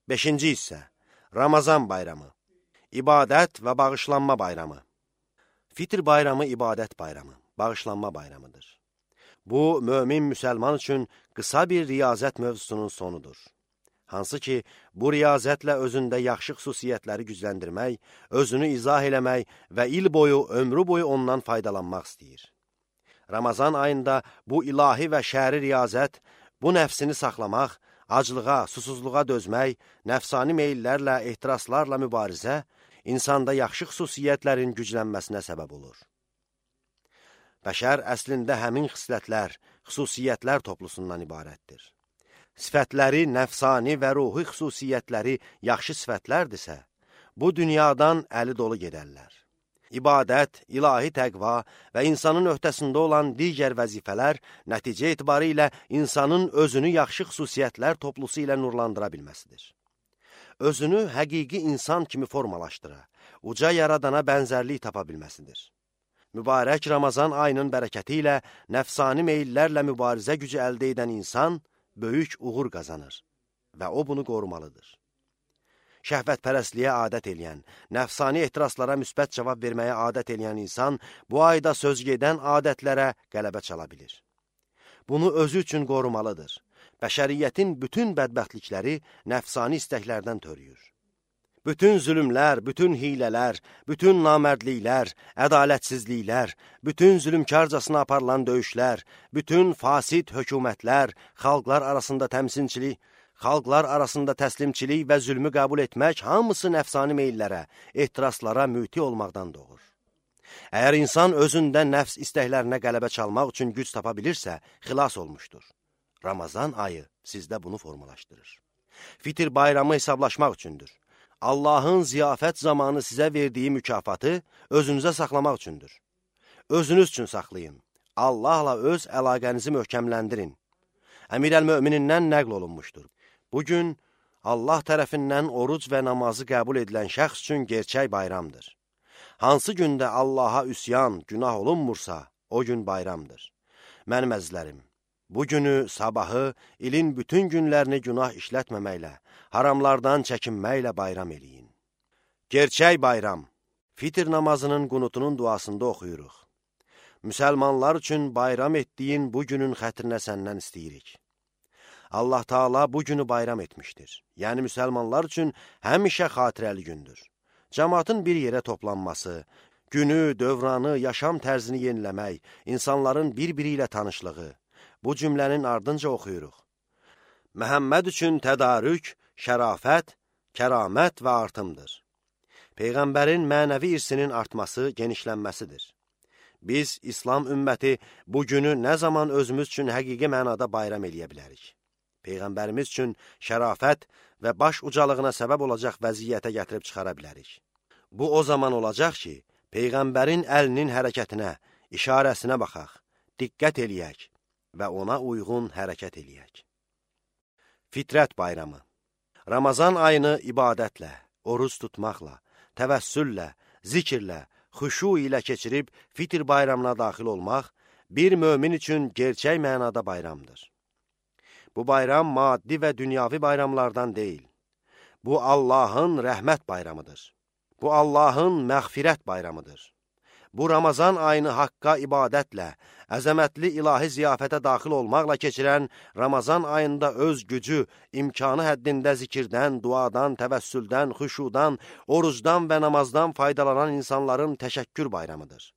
5-ci hissə Ramazan bayramı, ibadət və bağışlanma bayramı. Fitr bayramı ibadət bayramı, bağışlanma bayramıdır. Bu, mömin müsəlman üçün qısa bir riyazət mövzusunun sonudur. Hansı ki, bu riyazətlə özündə yaxşı xüsusiyyətləri gücləndirmək, özünü izah eləmək və il boyu, ömrü boyu ondan faydalanmaq istəyir. Ramazan ayında bu ilahi və şəri riyazət, bu nəfsini saxlamaq, aclığa, susuzluğa dözmək, nəfsani meyillərlə, ehtiraslarla mübarizə, insanda yaxşı xüsusiyyətlərin güclənməsinə səbəb olur. Bəşər əslində həmin xislətlər, xüsusiyyətlər toplusundan ibarətdir. Sifətləri, nəfsani və ruhi xüsusiyyətləri yaxşı sifətlərdirsə, bu dünyadan əli dolu gedərlər. İbadət, ilahi təqva və insanın öhdəsində olan digər vəzifələr nəticə etibarı ilə insanın özünü yaxşı xüsusiyyətlər toplusu ilə nurlandıra bilməsidir. Özünü həqiqi insan kimi formalaşdıra, uca yaradana bənzərlik tapa bilməsidir. Mübarək Ramazan ayının bərəkəti ilə nəfsani meyillərlə mübarizə gücü əldə edən insan böyük uğur qazanır və o bunu qorumalıdır. Şəhvətpərəstliyə adət eləyən, nəfsani ehtiraslara müsbət cavab verməyə adət eləyən insan bu ayda söz gedən adətlərə qələbə çala bilir. Bunu özü üçün qorumalıdır. Bəşəriyyətin bütün bədbəxtlikləri nəfsani istəklərdən törüyür. Bütün zülümlər, bütün hilələr, bütün namərdliklər, ədalətsizliklər, bütün zülümkarcasına aparılan döyüşlər, bütün fasid hökumətlər, xalqlar arasında təmsilçilik, xalqlar arasında təslimçilik və zülmü qəbul etmək hamısı nəfsani meyillərə, ehtiraslara müti olmaqdan doğur. Əgər insan özündə nəfs istəklərinə qələbə çalmaq üçün güc tapa bilirsə, xilas olmuşdur. Ramazan ayı sizdə bunu formalaşdırır. Fitr bayramı hesablaşmaq üçündür. Allahın ziyafət zamanı sizə verdiyi mükafatı özünüzə saxlamaq üçündür. Özünüz üçün saxlayın. Allahla öz əlaqənizi möhkəmləndirin. Əmirəl-Möminindən nəql olunmuşdur. Bugün Allah tərəfindən oruc və namazı qəbul edilən şəxs üçün gerçək bayramdır. Hansı gündə Allaha üsyan, günah olunmursa, o gün bayramdır. Mənim əzizlərim, bu günü, sabahı, ilin bütün günlərini günah işlətməməklə, haramlardan çəkinməklə bayram eləyin. Gerçək bayram, Fitr namazının qunutunun duasında oxuyuruq. Müsəlmanlar üçün bayram etdiyin bu günün xətrinə səndən istəyirik. Allah Taala bu günü bayram etmişdir. Yəni müsəlmanlar üçün həmişə xatirəli gündür. Cəmaatın bir yerə toplanması, günü, dövranı, yaşam tərzini yeniləmək, insanların bir-biri ilə tanışlığı, bu cümlənin ardınca oxuyuruq. Məhəmməd üçün tədarük, şərafət, kəramət və artımdır. Peyğəmbərin mənəvi irsinin artması, genişlənməsidir. Biz, İslam ümməti, bu günü nə zaman özümüz üçün həqiqi mənada bayram eləyə bilərik? Peyğəmbərimiz üçün şərafət və baş ucalığına səbəb olacaq vəziyyətə gətirib çıxara bilərik. Bu o zaman olacaq ki, Peyğəmbərin əlinin hərəkətinə, işarəsinə baxaq, diqqət eləyək və ona uyğun hərəkət eləyək. Fitrət bayramı. Ramazan ayını ibadətlə, oruc tutmaqla, təvəssüllə, zikirlə, xuşu ilə keçirib Fitr bayramına daxil olmaq bir mömin üçün gerçək mənada bayramdır. Bu bayram maddi və dünyavi bayramlardan deyil. Bu Allahın rəhmət bayramıdır. Bu Allahın məğfirət bayramıdır. Bu Ramazan ayını haqqa ibadətlə, əzəmətli ilahi ziyafətə daxil olmaqla keçirən, Ramazan ayında öz gücü, imkanı həddində zikirdən, duadan, təvəssüldən, xuşudan, orucdan və namazdan faydalanan insanların təşəkkür bayramıdır.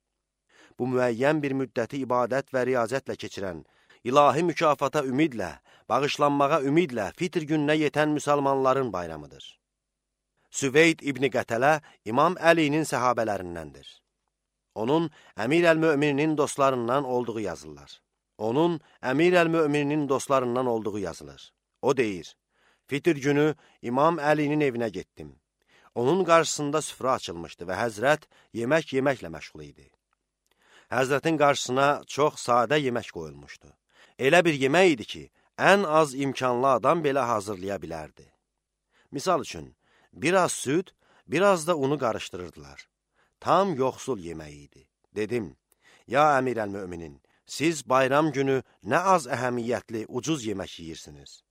Bu müəyyən bir müddəti ibadət və riyazətlə keçirən, ilahi mükafata ümidlə, bağışlanmağa ümidlə Fitr gününə yetən müsəlmanların bayramıdır. Süveyd İbn Qətələ İmam Əlinin səhabələrindəndir. Onun Əmirəl-Mömininin dostlarından olduğu yazılır. O deyir, Fitr günü İmam Əlinin evinə getdim. Onun qarşısında süfrə açılmışdı və həzrət yemək yeməklə məşğul idi. Həzrətin qarşısına çox sadə yemək qoyulmuşdu. Elə bir yemək idi ki, ən az imkanlı adam belə hazırlaya bilərdi. Misal üçün, biraz süd, biraz da unu qarışdırırdılar. Tam yoxsul yeməyi idi. Dedim, ya Əmirəl-Möminin, siz bayram günü nə az əhəmiyyətli, ucuz yemək yeyirsiniz.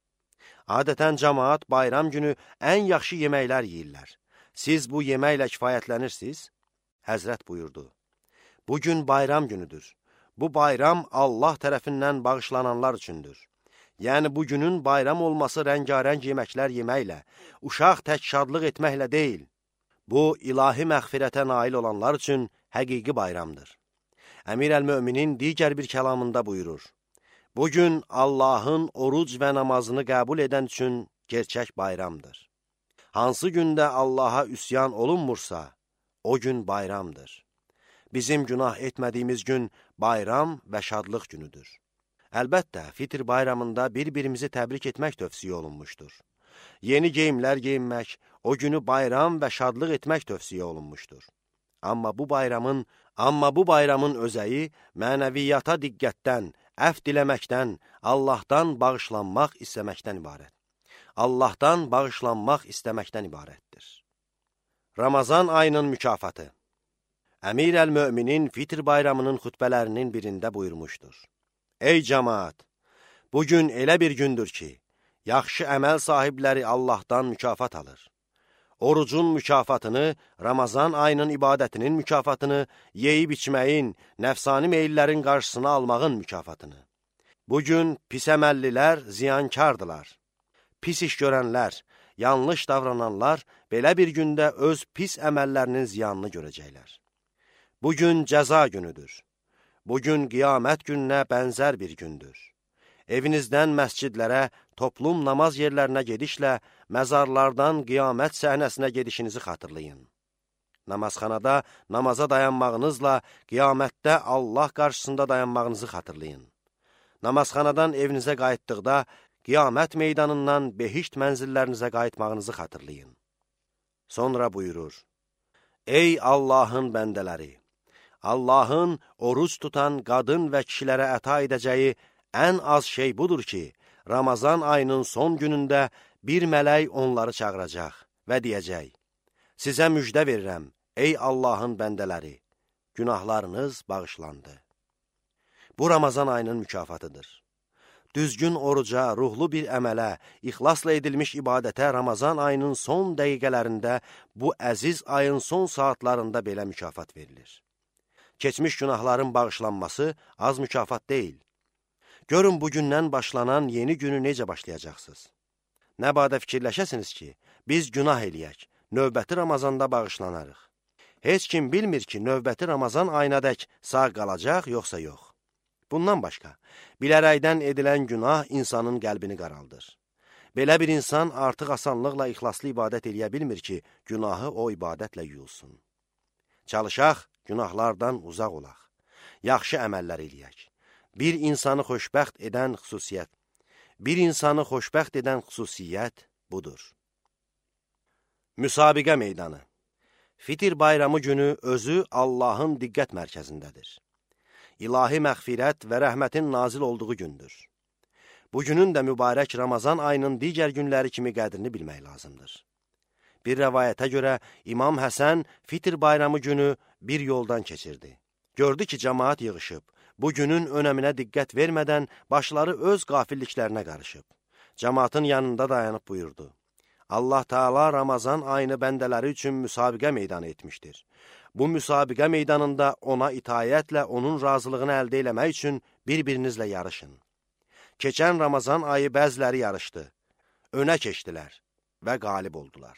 Adətən cəmaat bayram günü ən yaxşı yeməklər yeyirlər. Siz bu yeməklə kifayətlənirsiniz? Həzrət buyurdu, bugün bayram günüdür. Bu bayram Allah tərəfindən bağışlananlar üçündür. Yəni, bugünün bayram olması rəngarəng yeməklər yeməklə, uşaq tək şadlıq etməklə deyil. Bu, ilahi məğfirətə nail olanlar üçün həqiqi bayramdır. Əmir əl-Möminin digər bir kəlamında buyurur, bugün Allahın oruc və namazını qəbul edən üçün gerçək bayramdır. Hansı gündə Allaha üsyan olunmursa, o gün bayramdır. Bizim günah etmədiyimiz gün bayram və şadlıq günüdür. Əlbəttə, Fitr bayramında bir-birimizi təbrik etmək tövsiyə olunmuşdur. Yeni geyimlər geyinmək, o günü bayram və şadlıq etmək tövsiyə olunmuşdur. Amma bu bayramın özəyi mənəviyyata diqqətdən, əfv diləməkdən, Allahdan bağışlanmaq istəməkdən ibarət. Allahdan bağışlanmaq istəməkdən ibarətdir. Ramazan ayının mükafatı. Əmir əl-Möminin Fitr bayramının xütbələrinin birində buyurmuşdur. Ey cəmaat! Bugün elə bir gündür ki, yaxşı əməl sahibləri Allahdan mükafat alır. Orucun mükafatını, Ramazan ayının ibadətinin mükafatını, yeyib içməyin, nəfsani meyillərin qarşısını almağın mükafatını. Bugün pis əməllilər ziyankardılar. Pis iş görənlər, yanlış davrananlar belə bir gündə öz pis əməllərinin ziyanını görəcəklər. Bugün cəza günüdür. Bugün qiyamət gününə bənzər bir gündür. Evinizdən məscidlərə, toplum namaz yerlərinə gedişlə, məzarlardan qiyamət səhnəsinə gedişinizi xatırlayın. Namazxanada namaza dayanmağınızla qiyamətdə Allah qarşısında dayanmağınızı xatırlayın. Namazxanadan evinizə qayıtdıqda, qiyamət meydanından behişt mənzillərinizə qayıtmağınızı xatırlayın. Sonra buyurur, ey Allahın bəndələri! Allahın oruc tutan qadın və kişilərə əta edəcəyi ən az şey budur ki, Ramazan ayının son günündə bir mələk onları çağıracaq və deyəcək, sizə müjdə verirəm, ey Allahın bəndələri, günahlarınız bağışlandı. Bu Ramazan ayının mükafatıdır. Düzgün oruca, ruhlu bir əmələ, ixlasla edilmiş ibadətə Ramazan ayının son dəqiqələrində, bu əziz ayın son saatlarında belə mükafat verilir. Keçmiş günahların bağışlanması az mükafat deyil. Görün, bugündən başlanan yeni günü necə başlayacaqsınız? Nə badə fikirləşəsiniz ki, biz günah eləyək, növbəti Ramazanda bağışlanarıq. Heç kim bilmir ki, növbəti Ramazan ayınadək sağ qalacaq, yoxsa yox. Bundan başqa, bilərəkdən edilən günah insanın qəlbini qaraldır. Belə bir insan artıq asanlıqla ixlaslı ibadət eləyə bilmir ki, günahı o ibadətlə yuyulsun. Çalışaq, günahlardan uzaq olaq. Yaxşı əməllər eləyək. Bir insanı xoşbəxt edən xüsusiyyət budur. Müsabiqə meydanı. Fitr bayramı günü özü Allahın diqqət mərkəzindədir. İlahi məğfirət və rəhmətin nazil olduğu gündür. Bugünün də mübarək Ramazan ayının digər günləri kimi qədrini bilmək lazımdır. Bir rəvayətə görə İmam Həsən Fitr bayramı günü bir yoldan keçirdi. Gördü ki, cəmaat yığışıb. Bu günün önəminə diqqət vermədən başları öz qafilliklərinə qarışıb. Cəmaatın yanında dayanıb buyurdu. Allah Teala Ramazan ayını bəndələri üçün müsabiqə meydanı etmişdir. Bu müsabiqə meydanında ona itayətlə onun razılığını əldə eləmək üçün bir-birinizlə yarışın. Keçən Ramazan ayı bəziləri yarışdı, önə keçdilər və qalib oldular.